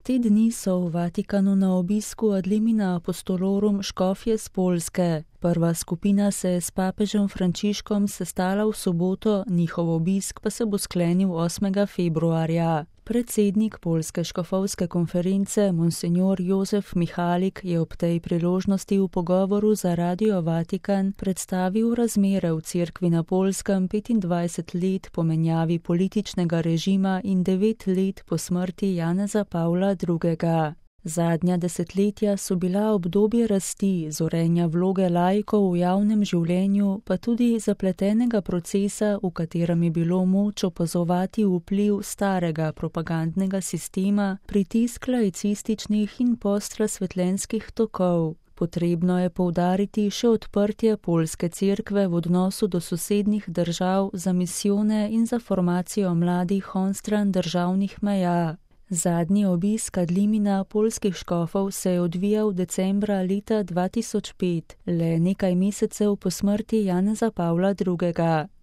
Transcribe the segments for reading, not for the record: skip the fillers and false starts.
Te dni so v Vatikanu na obisku ad limina apostolorum škofje z Poljske. Prva skupina se je s papežem Frančiškom sestala v soboto, njihov obisk pa se bo sklenil 8. februarja. Predsednik Poljske škofovske konference, monsinjor Jozef Mihalik, je ob tej priložnosti v pogovoru za Radio Vatikan predstavil razmere v cerkvi na Poljskem 25 let po menjavi političnega režima in 9 let po smrti Janeza Pavla II. Zadnja desetletja so bila obdobje rasti, zorenja vloge laikov v javnem življenju, pa tudi zapletenega procesa, v katerem je bilo moč opazovati vpliv starega propagandnega sistema, pritisk laicističnih in postrazsvetljenskih tokov. Potrebno je poudariti še odprtje Poljske cerkve v odnosu do sosednjih držav za misijone in za formacijo mladih onstran državnih meja. Zadnji obisk ad limina poljskih škofov se je odvijal decembra leta 2005, le nekaj mesecev po smrti Janeza Pavla II.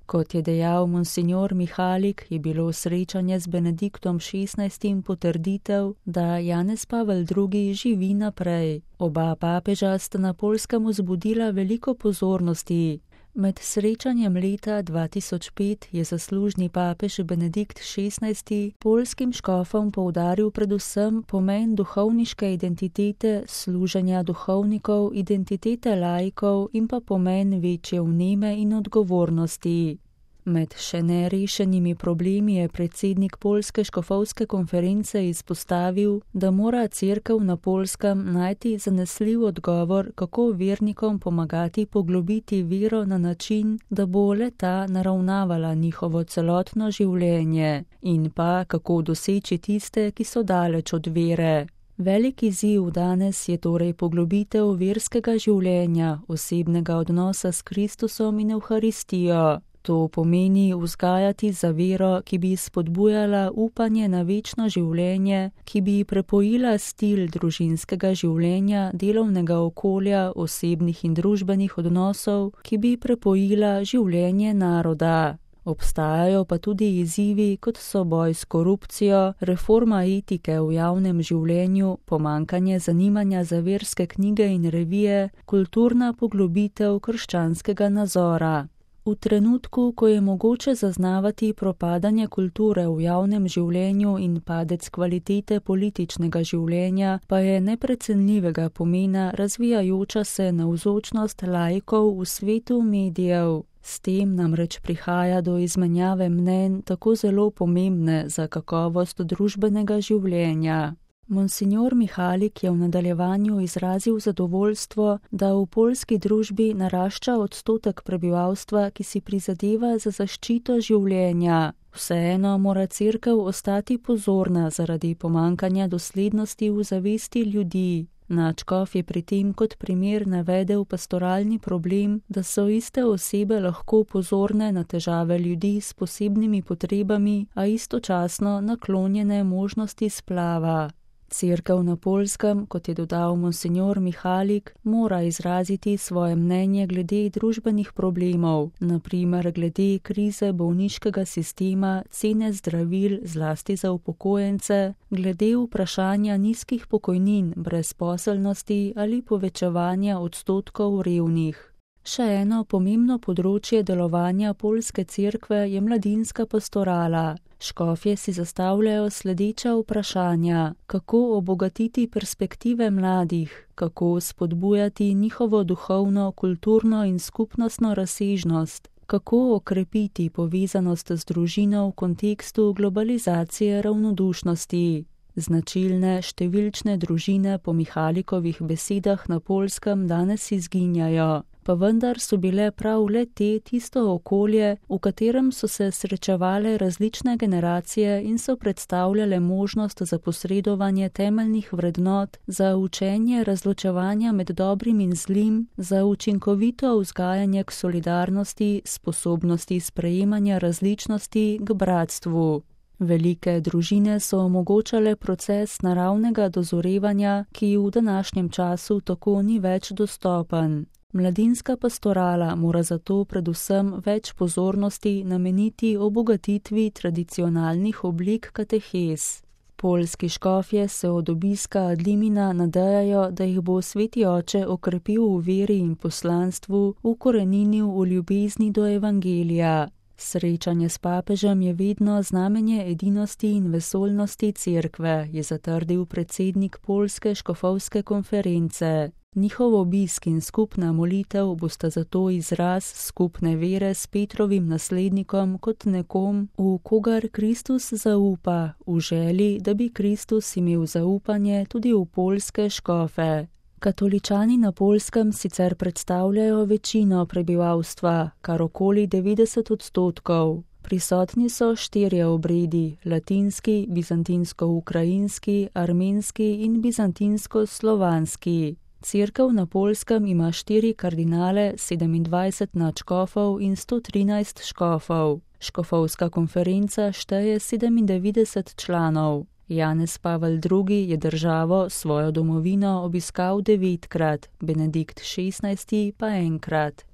Kot je dejal monsinjor Mihalik, je bilo srečanje z Benediktom XVI. Potrditev, da Janez Pavel II. Živi naprej. Oba papeža sta na Poljskem vzbudila veliko pozornosti. Med srečanjem leta 2005 je zaslužni papež Benedikt XVI. Poljskim škofom poudaril predvsem pomen duhovniške identitete, služenja duhovnikov, identitete laikov in pa pomen večje vneme in odgovornosti. Med še nerešenimi problemi je predsednik Poljske škofovske konference izpostavil, da mora cerkev na Poljskem najti zanesljiv odgovor, kako vernikom pomagati poglobiti vero na način, da bo le-ta naravnavala njihovo celotno življenje, in pa kako doseči tiste, ki so daleč od vere. Velik izziv danes je torej poglobitev verskega življenja, osebnega odnosa s Kristusom in Evharistijo. To pomeni vzgajati za vero, ki bi spodbujala upanje na večno življenje, ki bi prepojila stil družinskega življenja, delovnega okolja, osebnih in družbenih odnosov, ki bi prepojila življenje naroda. Obstajajo pa tudi izzivi, kot so boj s korupcijo, reforma etike v javnem življenju, pomanjkanje zanimanja za verske knjige in revije, kulturna poglobitev krščanskega nazora. V trenutku, ko je mogoče zaznavati propadanje kulture v javnem življenju in padec kvalitete političnega življenja, pa je neprecenljivega pomena razvijajoča se navzočnost laikov v svetu medijev. S tem namreč prihaja do izmenjave mnenj tako zelo pomembne za kakovost družbenega življenja. Monsinjor Mihalik je v nadaljevanju izrazil zadovoljstvo, da v poljski družbi narašča odstotek prebivalstva, ki si prizadeva za zaščito življenja. Vseeno mora cerkev ostati pozorna zaradi pomanjkanja doslednosti v zavesti ljudi. Nadškof je pri tem kot primer navedel pastoralni problem, da so iste osebe lahko pozorne na težave ljudi s posebnimi potrebami, a istočasno naklonjene možnosti splava. Cerkev na Poljskem, kot je dodal monsinjor Mihalik, mora izraziti svoje mnenje glede družbenih problemov, na primer glede krize bolniškega sistema, cene zdravil, zlasti za upokojence, glede vprašanja nizkih pokojnin, brezposelnosti ali povečevanja odstotkov revnih. Še eno pomembno področje delovanja poljske cerkve je mladinska pastorala. Škofje si zastavljajo sledeča vprašanja: kako obogatiti perspektive mladih, kako spodbujati njihovo duhovno, kulturno in skupnostno razsežnost, kako okrepiti povezanost z družino v kontekstu globalizacije ravnodušnosti. Značilne številčne družine po Mihalikovih besedah na Poljskem danes izginjajo, pa vendar so bile prav le te tisto okolje, v katerem so se srečevale različne generacije in so predstavljale možnost za posredovanje temeljnih vrednot, za učenje razločevanja med dobrim in zlim, za učinkovito vzgajanje k solidarnosti, sposobnosti sprejemanja različnosti, k bratstvu. Velike družine so omogočale proces naravnega dozorevanja, ki v današnjem času tako ni več dostopen. Mladinska pastorala mora zato predvsem več pozornosti nameniti obogatitvi tradicionalnih oblik katehez. Poljski škofje se od obiska Adlimina nadejajo, da jih bo Sveti Oče okrepil v veri in poslanstvu, ukoreninil v ljubezni do evangelija. Srečanje s papežem je vedno znamenje edinosti in vesoljnosti cerkve, je zatrdil predsednik Poljske škofovske konference. Njihov obisk in skupna molitev bosta zato izraz skupne vere s Petrovim naslednikom kot nekom, v kogar Kristus zaupa, v želji, da bi Kristus imel zaupanje tudi v poljske škofe. Katoličani na Poljskem sicer predstavljajo večino prebivalstva, kar okoli 90%. Prisotni so 4 obredi: latinski, bizantinsko-ukrajinski, armenski in bizantinsko-slovanski. Cerkev na Poljskem ima 4 kardinale, 27 nadškofov in 113 škofov. Škofovska konferenca šteje 97 članov. Janez Pavel II. Je državo, svojo domovino, obiskal 9-krat, Benedikt XVI. Pa enkrat.